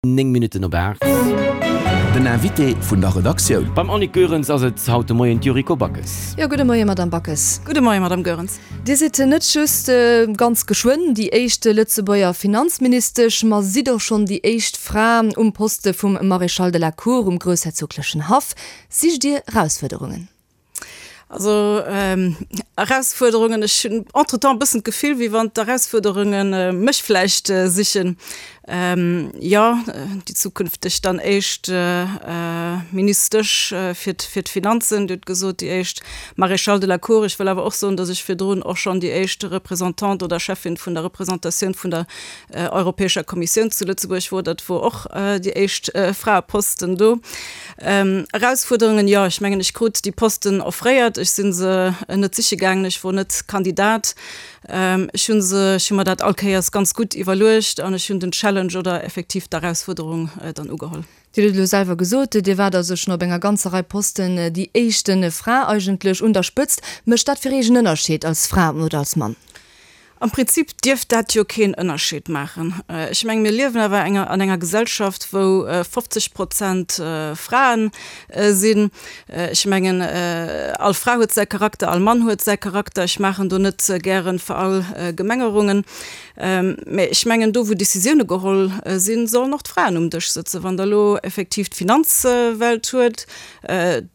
9 Minutten op 8. Den Invité vun der Redaktioun. Beim Annick Goerens ass et haut de Moien d'Yuriko Backes. Jo, gudde Moie Madame Backes. Gudde Moie Madame Goerens. Dir sidd net just ganz geschwënn déi éischt Lëtzebuerger Finanzministesch, ma sidd och schonn déi éischt Fra um Poste vum Maréchal de la Cour um groussherzoglechen Haff. Sicht Dir Erausfuerderungen? Also Erausfuerderungen, ech hunn entretemps e bëssen d'Gefill, wéi wann d'Erausfuerderunge mech vläicht sichen. Jo, déi zukünfteg dann éischt Ministesch fir fir d'Finanzen, Dir hutt gesot, déi éischt Maréchale de la Cour. Ech wëll awer och soen, datt ech virdrun och schonn déi éischt Représentante oder Cheffin vun der Représentatioun vun der Europäescher Kommissioun zu Lëtzebuerg wor. Dat wor och déi éischt Fraeposten do. Erausfuerderungen, jo, ech mengen, ech krut déi Posten offréiert. Ech si se net siche gaangen, ech wor net Kandidat. Ech hu se, ech hu mer dat all Kéiers ganz gutt iwwerluecht an ech hunn den Challenge oder effektiv d'Erausfuerderung dann ugeholl. Dir hutt et elo selwer gesot, Dir waart also schonn op enger ganzer Rei Posten déi éischte Fra eigentlech un der Spëtzt. Mécht dat fir Iech en Ënnerscheed als Fra oder als Mann? Am Prinzip dierft dat jo keen Ënnerscheed maachen. Ech mengen, mir liewen awer enger an enger Gesellschaft, wou 50 Prozent Frae sinn. Ech mengen, all Fra huet säi Charakter, all Mann huet säi Charakter. Ech maachen do net gären Verallgemengerungen. Mä ech mengen, do wou Décisioune geholl sinn, sollen och d'Fraen um Dësch sëtzen. Wann Der elo effektiv d'Finanzwelt huet,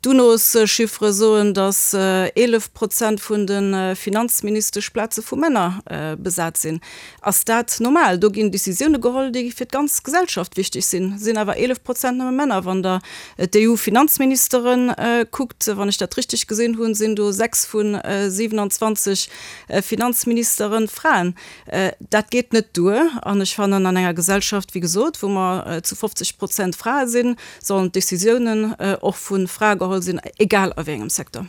D'UNOS-Chiffere soen, datt 11 Prozent vun de Finanzministeschplaze vu Männer besat sinn. Ass dat normal? Do ginn Decisioune geholl, déi fir d'ganz Gesellschaft wichteg sinn, sinn awer 11 Prozent nëmme Männer. Wann Der d'EU-Finanzministere kuckt, wann ech dat richteg gesinn hunn, sinn do 6 vu 27 Finanzministere Fraen. Dat geet net duer an ech fannen, an enger Gesellschaft, wéi gesot, wou mer zu 50 Prozent Frae sinn, sollen d'Décisiounen och vu Frae geholl sinn, egal a wéi engem Secteur.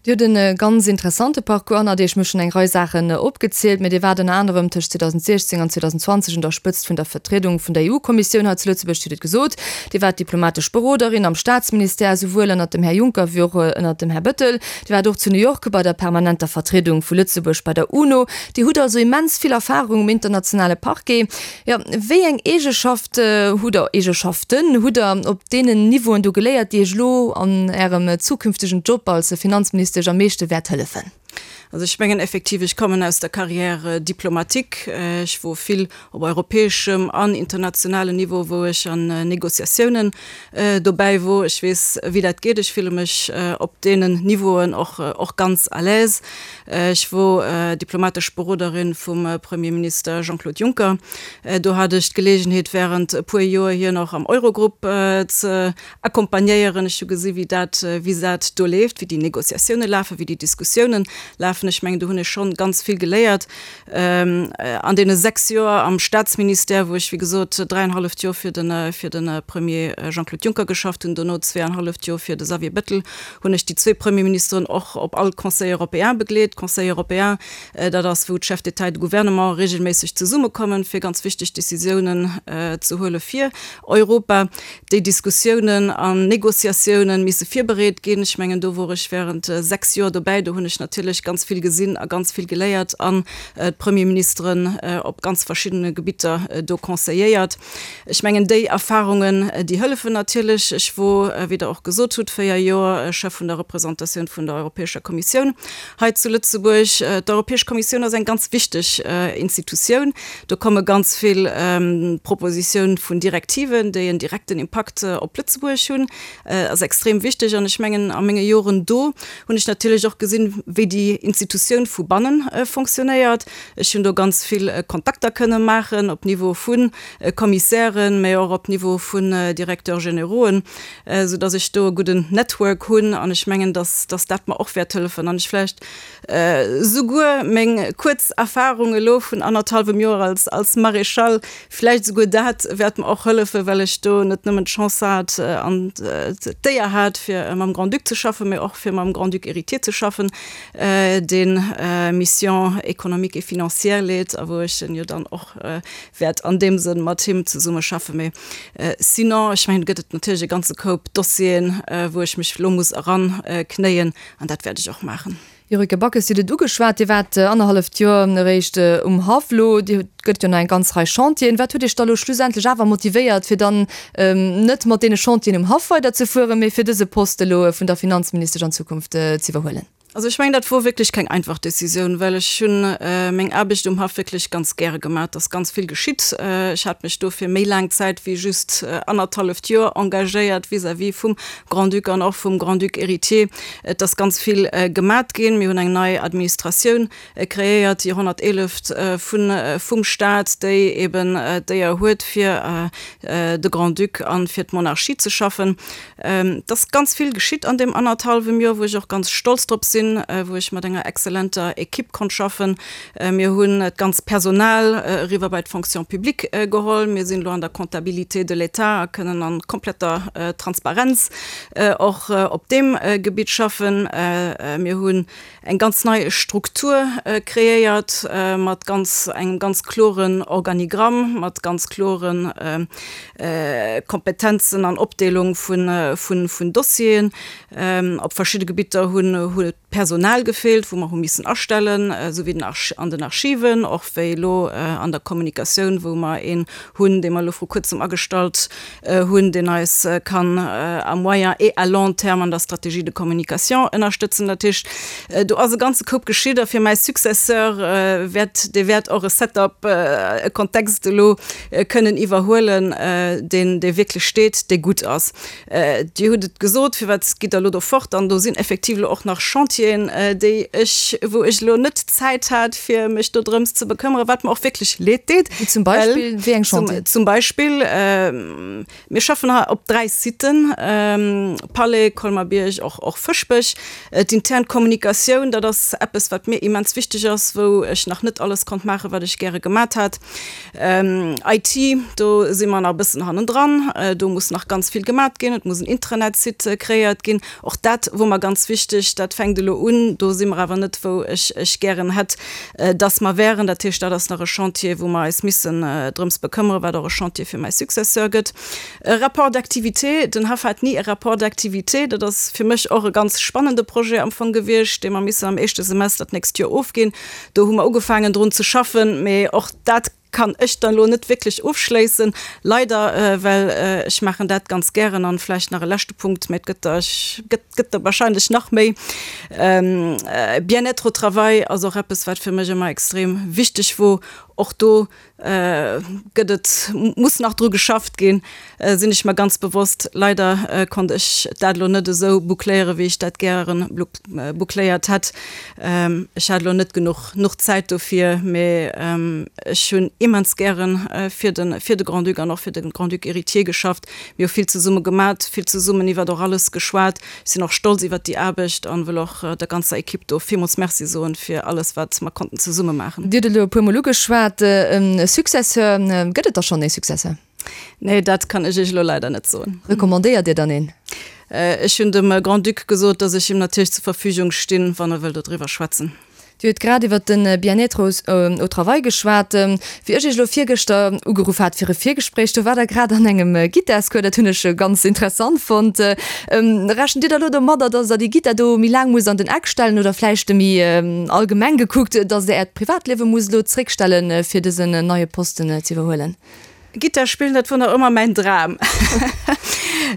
Dir hutt e ganz interessante Parcours hannert Iech, mir hu schonn eng Rei Saachen opgezielt, mee Dir waart ënner anerem tëscht 2016 an 2020 un der Spëtzt vun der Vertriedung vun der EU-Kommissioun hei zu Lëtzebuerg, Dir hutt et gesot, Dir waart diplomatesch Beroderin am Staatsministère, esouwuel ënnert dem Här Juncker wéi och ënnert dem Här Bettel. Dir waart och zu New York bei der permanenter Vertriedung vu Lëtzebuerg bei der UNO. Dir hutt also immens vill Erfahrung um internationale Parquet. Jo, wéi eng Eegeschaft hutt Der, Eegeschaften hutt Der op deenen Niveauen do geléiert, déi Iech elo an Ärem zukünftegen Job als Finanzministesch am meeschte wäert hëllefen? Also ech mengen effektiv, ech kommen aus der Carrière diplomatique. Ech wor vill op europäeschem an internationalen Niveau, wou ech an Négociatiounen dobäi wor. Ech weess, wéi dat geet. Ech fille mech op deenen Niveauen och, och ganz à l'aise. Ech wor diplomatesch Beroderin vum Premierminister Jean-Claude Juncker. Do hat ech d'Geleegenheet während e puer Joer hien och am Eurogrupp ze accompagnéieren. Ech hu gesi wéi dat, wéi dat do leeft, wéi déi Négociatioune lafen, wéi déi Diskussiounen lafen. Ech mengen do hunn ech schonn ganz vill geléiert an deene 6 Joer am Staatsministère, wou ech wéi gesot dräienhalleft Joer fir de, fir de Premier Jean-Claude Juncker geschafft hunn, dono zweeanhalleft Joer fir de Xavier Bettel, hunn ech déi zwee Premierministeren och op all Conseil européen begleet. Conseil européen, dat ass wou d'Chefs d'État et de gouvernement regelméisseg zesummekommen, fir ganz wichteg Décisiounen ze huele fir Europa. Déi Diskussiounen an Négociatiounen misse virbereet ginn. Ech mengen, do wor ech während 6 Joer dobäi. Do hunn ech natierlech ganz vill gesinn a ganz vill geléiert an d'Premierministeren op ganz verschiddene Gebitter do conseilléiert. Ech mengen, déi Erfahrungen, déi hëllefen natierlech. Ech wor, wéi Der och gesot hutt, 4 Joer Chef vun der Représentatioun vun der Europäescher Kommissioun hei zu Lëtzebuerg. D'Europäesch Kommissioun ass eng ganz wichteg Institutioun. Do komme ganz vill Propositioun vun Direktiven, déi en direkten Impakt op Lëtzebuerg hunn. Ass extrem wichteg. An ech mengen, a menge Joren do hunn ech natierlech och gesinn, wéi déi Institutioun vu banne fonctionnéiert. Ech hunn do ganz vill Kontakter kënne maachen op Niveau vu Commissairen, mä och op Niveau vun Directeurs générauxen, soudass ech do e gudden Network hunn. An ech mengen, dass dass dat mer och wäert hëllefen. An ech vläicht souguer meng kuerz Erfahrung elo vun annerthalwem Joer als als Maréchal, vläicht souguer dat wäert mer och hëllefen, well ech do net nëmmen d'Chance hat an d'Éier hat, fir mam Grand-Duc ze schaffen, mä och fir mam Grand-Duc héritier ze schaffen, deen Mission économique et financière leet a wou ech jo dann och wäert an deem Sënn mat him zesumme schaffen. Mee sinon, ech mengen, do gëtt et natierlech e ganze Koup Dossieren, wou ech mech elo muss eranknéien, an dat wäert ech och maachen. Yuriko Backes, Dir hutt et ugeschwat, Dir waart annerhalleft Joer eréischt um Haff. Elo gëtt et jo nach eng ganz Rei Chantieren. Wat huet Iech da elo schlussendlech awer motivéiert, fir dann net mat deene Chantieren um Haff weiderzefueren, mee fir dëse Poste elo vun der Finanzministesch an Zukunft ze iwwerhuelen? Also ech mengen, dat wor wierklech keng einfach Decisioun, well ech hunn meng Aarbecht um Haff wierklech ganz gäre gemaach. Et ass ganz vill geschitt. Ech hat mech do fir méi laang Zäit wéi just annerthalleft Joer engagéiert vis-à-vis vum Grand-Duc an och vum Grand-Duc héritier. Et ass ganz vill gemat ginn. Mir hunn eng nei Administratioun kreéiert, déi 111. Vun vum Staat, déi eben d'Éier huet, fir de Grand-Duc a fir d'Monarchie ze schaffen. Et ass ganz vill geschitt an deem annerthallwem Joer, wou ech och ganz stolz drop sinn, wou ech mat enger exzellenter Equipe konnt schaffen. Mir hunn d'ganz Personal eriwwer bei d'Fonction publique geholl. Mir sinn elo an der Comptabilité de l'État a kënnen a kompletter Transparenz och op deem Gebitt schaffen. Mir hunn eng ganz nei Struktur kreéiert mat ganz engem ganz kloren Organigramm, mat ganz klore Kompetenzen an Opdeelung vun Dossieren. Op verschidde Gebitter hunn Personal gefeelt, wou mer hu missen astellen, esou wéi den an den Archiven, och wéi elo an der Kommunikatioun, wou mer een hunn, dee mer elo vru kuerzem agestallt hunn, deen eis kann à moyen et à long terme an der Stratégie de communication ënnerstëtzen. Dat heescht, do ass e ganze Koup geschitt a fir mäi Successeur wäert, dee wäert och e Setup, e Kontext elo kënnen iwwerhuelen, deen, dee wierklech steet, dee gutt ass. Dir hutt et gesot, firwat gitt Der elo do fort? An do sinn effektiv elo och nach Chantieren, déi ech, wou ech elo net d'Zäit hat, fir mech do drëms ze bekëmmeren, wat mer och wierklech leed deet. Wéi zum Beispill? Wéi eng Chantieren? Zum Beispill, mir schaffen hei op 3 Siten, Palais, Colmer-Bierg, och, och Fëschbech. D'intern Kommunikatioun, dat ass eppes, wat mir immens wichteg ass, wou ech nach net alles konnt maachen, wat ech gäre gemat hat. IT, do si mer nach e bëssen hannendran. Do muss nach ganz vill gemat ginn. Et muss en Intranet-Site kreéiert ginn. Och dat wor mer ganz wichteg. Dat fänkt elo un. Do si mer awer net, wou ech ech gären hätt, dass mer wären. Dat heescht, dat ass nach e Chantier, wou mer eis missen drëms bekëmmeren, wat och e Chantier fir mäi Successeur gëtt. E Rapport d'activité, den Haff hat ni e Rapport d'activité. Dat ass fir mech och e ganz spannende Projet am Fong gewiescht, dee mer missen am éischte Semester d'nächst Joer ofginn. Do hu mer ugefaangen drun ze schaffen, mee och dat kann ech dann elo net wierklech ofschléissen, leider, well ech maachen dat ganz gären. An vläicht nach e leschte Punkt, mä et gëtt der, ech gëtt, gëtt der wahrscheinlech nach méi, Bien-être au travail ass och eppes, wat fir mech ëmmer extrem wichteg wor. Och do gëtt et, muss nach dru geschafft ginn, sinn ech mer ganz bewosst. Leider konnt ech dat elo net esou boucléieren, wéi ech dat gären boucléiert hätt. Ech hat elo net genuch nuch Zäit dofir, mee ech hunn immens gären fir de fir de Grand-Duc an och fir de Grand-Duc héritier geschafft. Mir hu vill zesumme gemat, vill zesummen iwwert och alles geschwat. Ech sinn och stolz iwwert déi Aarbecht an wëll och der ganzer Equipe do villmools Merci soen fir alles wat mer konnten zesumme maachen. Dir hutt elo e puer mol ugeschwat, e Successeur. Gëtt et da schonn ee Successeur? Nee, dat kann ech Iech elo leider net soen. Recommandéiert Dir dann een? Ech hunn dem Grand-Duc gesot, datt ech him natierlech zur Verfügung stinn, wann e wëll dodriwwer schwätzen. Dir hutt grad iwwert de Bien-être au travail geschwat. Wéi ech Iech elo virgëschter ugeruff hat fir e Virgespréich, do waart Der grad an engem Gittarscours. Dat hunn ech ganz interessant fonnt. Rechent Dir da elo domadder, datt Der déi Gittar do méi laang musst an den Eck stellen oder vläicht méi allgemeng gekuckt, datt Der Äert Privatliewe musst elo zréckstellen, fir dësen neie Posten ze iwwerhuelen? Gittar spillen, dat wor nach ëmmer mäin Dram.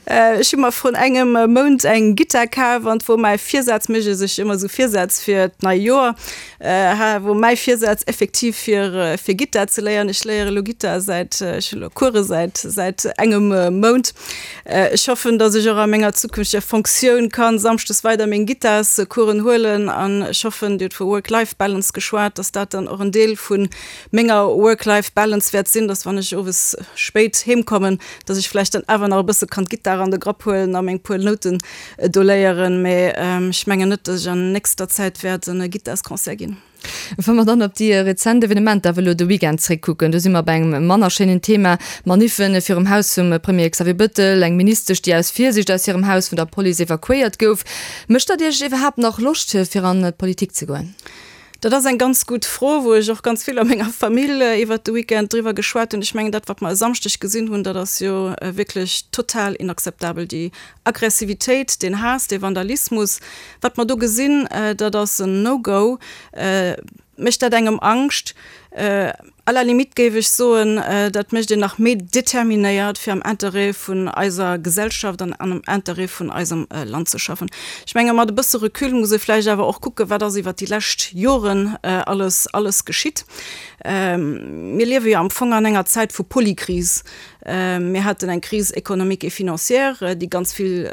Ech hu mer vrun engem Mount eng Gittar kaf an 't wor mäi Virsaz, mécht ee sech ëmmer esou Virsätz fir d'nei Joer, ha wor mäi Virsaz effektiv fir fir Gittar ze léieren. Ech léiere lo Gittar säit, ech hu lo Coure säit säit engem Mount. Ech hoffen, datt ech och a menger zukünfteger Fonctioun kann samschdes weider meng Gittarscoursen huelen an ech hoffen, Dir hutt vu Work-Life-Balance geschwat, datt dat dann och en Deel vun menger Work-Life-Balance wäert sinn, dass wann ech owes spéit heem kommen, dass ech vläicht dann awer nach e bësse kann d'Gittar an de Grapp huelen a meng puer Nouten do léieren. Mee ech mengen net, dass ech an nächster Zäit wäert en Gittarsconcert ginn. Wa mer dann op déi rezent Evenementer awer elo de Weekend zréckkucken, do si mer bei engem manner schéinen Thema, Maniffen virum Haus vum Premier Xavier Bëttel, eng Ministesch, déi aus Virsiicht aus hirem Haus vun der Police evakuéiert gouf. Mécht dat Iech iwwerhaapt nach Loscht, fir an d'Politik ze goen? Dat ass eng ganz gutt Fro, wou ech och ganz vill a menger Famill iwwert de Weekend driwwer geschwat hunn. Ech mengen, dat, wat mer e Samschdeg gesinn hunn, dat ass jo wierklech total inakzeptabel. Déi Aggressivitéit, deen Haass, dee Vandalismus, wat mer do gesinn, dat ass en No-Go. Mécht dat engem Angscht? À la limite géif ech soen, dat mécht een nach méi determinéiert, fir am Interêt vun eiser Gesellschaft an am Interêt vun eisem Land ze schaffen. Ech menge mat e bësse Recul muss ee vläicht awer och kucken, wat ass iwwert déi lescht Joren alles, alles geschitt. Mir liewe jo am Fong an enger Zäit vu Polykris. Mir haten eng Crise économique et financière, déi ganz vill,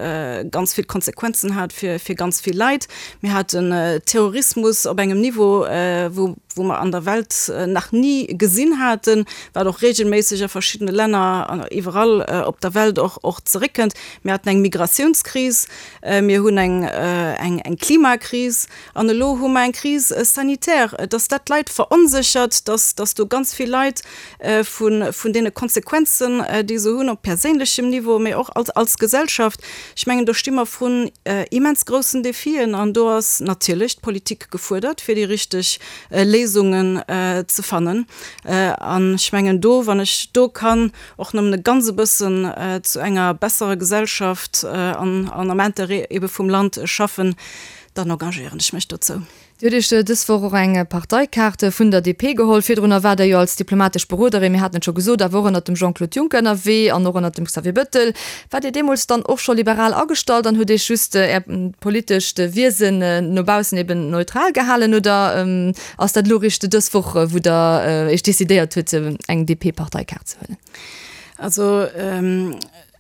ganz vill Konsequenzen hat fir, fir ganz vill Leit. Mir haten Terrorismus op engem Niveau, wou, wou mer an der Welt nach ni gesinn haten, wat och regelméisseg a verschiddene Länner an iwwerall op der Welt och, och zeréckkënnt. Mir haten eng Migratiounskris, mir hunn eng, eng, eng Klimakris an elo hu mer eng Crise sanitaire. Dass dat d'Leit veronséchert, dass, dass do ganz vill Leit vun deene Konsequenzen, déi se hunn op perséinlechem Niveau, mee och als, als Gesellschaft. Ech mengen, do sti mer vrun immens groussen Defien an do ass natierlech d'Politik gefuerdert, fir déi richteg Léisungen ze fannen. An ech mengen do, wann ech do kann och nëmmen e ganz e bëssen zu enger besserer Gesellschaft an, an am Interêt ebe vum Land schaffen, dann engagéieren ech mech dozou. Dir hutt Iech dës Woch och eng Parteikaart vun der DP geholl. Virdrunner waart Der jo als diplomatesch Beroderin, mir haten et scho gesot, awer och ënnert dem Jean-Claude Juncker ënnerwee an och ënnert dem Xavier Bettel. Waart Dir deemools dann och scho liberal agestallt an hutt Iech just Är politescht Wiesen no baussen eben neutral gehalen oder ass dat elo eréischt dës Woch, wou Der Iech decidéiert hutt, eng DP-Parteikaart ze huelen? Also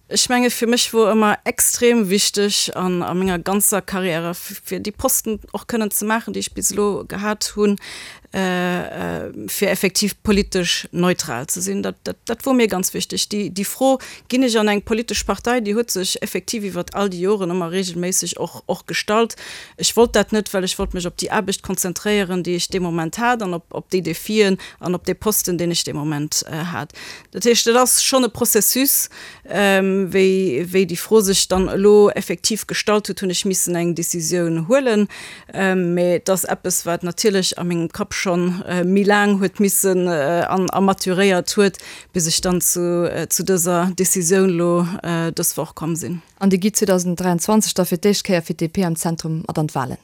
Ech menge fir mech wor ëmmer extrem wichteg an a menger ganzer Karriäre fir déi Posten och kënnen ze maachen, déi ech bis elo gehat hunn, fir effektiv politesch neutral ze sinn. Dat, dat, dat wor mir ganz wichteg. Déi, déi Fro, ginn ech an eng politesch Partei, déi huet sech effektiv iwwert all déi Joren ëmmer regelméisseg och, och gestallt. Ech wollt dat net, well ech wollt mech op déi Aarbecht konzentréieren, déi ech dee Moment hat an op, op déi Defien an op dee Posten, deen ech dee Moment hat. Dat heescht, et ass schonn e Processus. Wéi, wéi déi Fro sech dann elo effektiv gestallt huet, hunn ech missen eng Décisioun huelen. Mä et ass eppes, wat natierlech a mengem Kapp schonn méi laang huet missen an a maturéiert huet, bis ech dann zu, zu dëser Décisioun elo dës Woch komm sinn. An Dir gitt 2023 da fir d'éischt Kéier fir d'DP am Zentrum mat an d'Wahlen?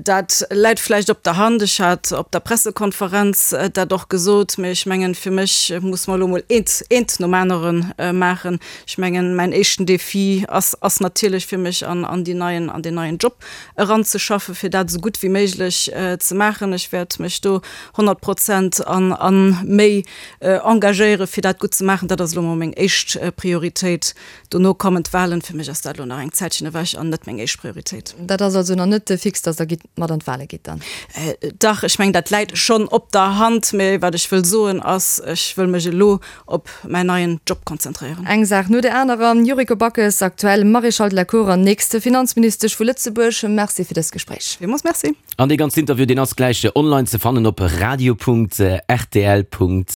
Dat läit vläicht op der Hand. Ech hat op der Pressekonferenz dat och gesot, mä ech mengen, fir mech muss mer elo mol eent, eent nom anere maachen. Ech mengen, mäin éischten Défi ass, ass natierlech fir mech an, an déi neien, an deen neien Job eranzeschaffen, fir dat esou gutt wéi méiglech ze maachen. Ech wäert mech do 100 Prozent an, a méi engagéieren, fir dat gutt ze maachen. Dat ass elo mol meng éischt Prioritéit. Dono kommen d'Wahlen. Fir mech ass dat elo nach eng Zäitchen ewech an net meng éischt Prioritéit. Dat ass also nach net fix, datt Der gitt mat an d'Wahle gitt dann? Dach, ech mengen, dat läit schonn op der Hand. Mee wat ech wëll soen ass, ech wëll mech elo op mäin neien Job konzentréieren. Eng Saach no der anerer. Yuriko Backes, aktuell Maréchale de la Cour an nächste Finanzministesch vu Lëtzebuerg, Merci fir dëst Gespréich. Villmools Merci. An dee ganzen Interview, deen ass gläich online ze fannen op radio.rtl.lu.